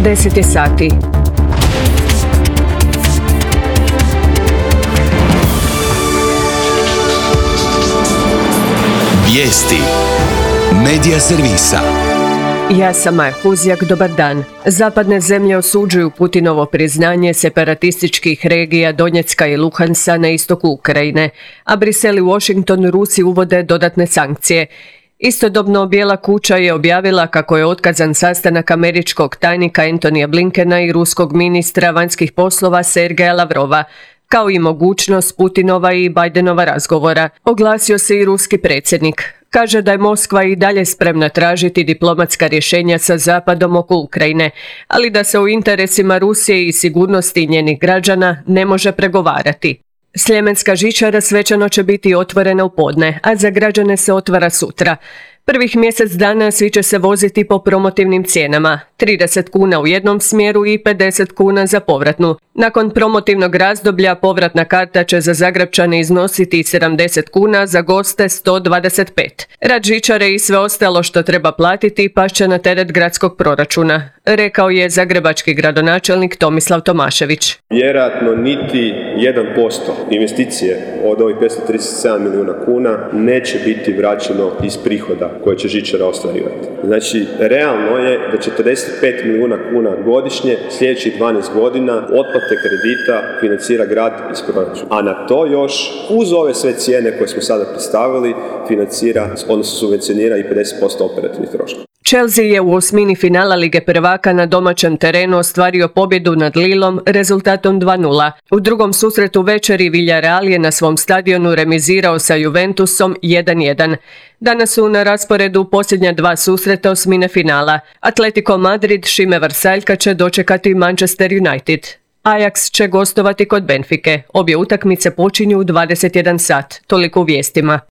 10 je sati. Vijesti Medija servisa. Ja sam Maja Huzjak, dobar dan. Zapadne zemlje osuđuju Putinovo priznanje separatističkih regija Donjecka i Luhansa na istoku Ukrajine, a Brisel i Washington Rusiji uvode dodatne sankcije. Istodobno Bijela kuća je objavila kako je otkazan sastanak američkog tajnika Antonija Blinkena i ruskog ministra vanjskih poslova Sergeja Lavrova, kao i mogućnost Putinova i Bidenova razgovora. Oglasio se i ruski predsjednik. Kaže da je Moskva i dalje spremna tražiti diplomatska rješenja sa Zapadom oko Ukrajine, ali da se o interesima Rusije i sigurnosti njenih građana ne može pregovarati. Sljemenska žičara svečano će biti otvorena u podne, a za građane se otvara sutra. Prvih mjesec dana svi će se voziti po promotivnim cijenama, 30 kuna u jednom smjeru i 50 kuna za povratnu. Nakon promotivnog razdoblja povratna karta će za Zagrepčane iznositi 70 kuna, za goste 125. Rad žičare i sve ostalo što treba platiti pašće na teret gradskog proračuna, rekao je zagrebački gradonačelnik Tomislav Tomašević. Vjerojatno niti 1% investicije od ovih 537 milijuna kuna neće biti vraćeno iz prihoda koje će žičara ostvarivati. Znači, realno je da 45 milijuna kuna godišnje sljedećih 12 godina otplate kredita financira grad iz proračuna. A na to još, uz ove sve cijene koje smo sada predstavili, financira, odnosno subvencionira i 50% operativnih troškova. Chelsea je u osmini finala Lige prvaka na domaćem terenu ostvario pobjedu nad Lillom rezultatom 2:0. U drugom susretu večeri Villarreal je na svom stadionu remizirao sa Juventusom 1:1. Danas su na rasporedu posljednja dva susreta osmine finala. Atletico Madrid Šime Vrsaljka će dočekati Manchester United. Ajax će gostovati kod Benfike. Obje utakmice počinju u 21 sat. Toliko u vijestima.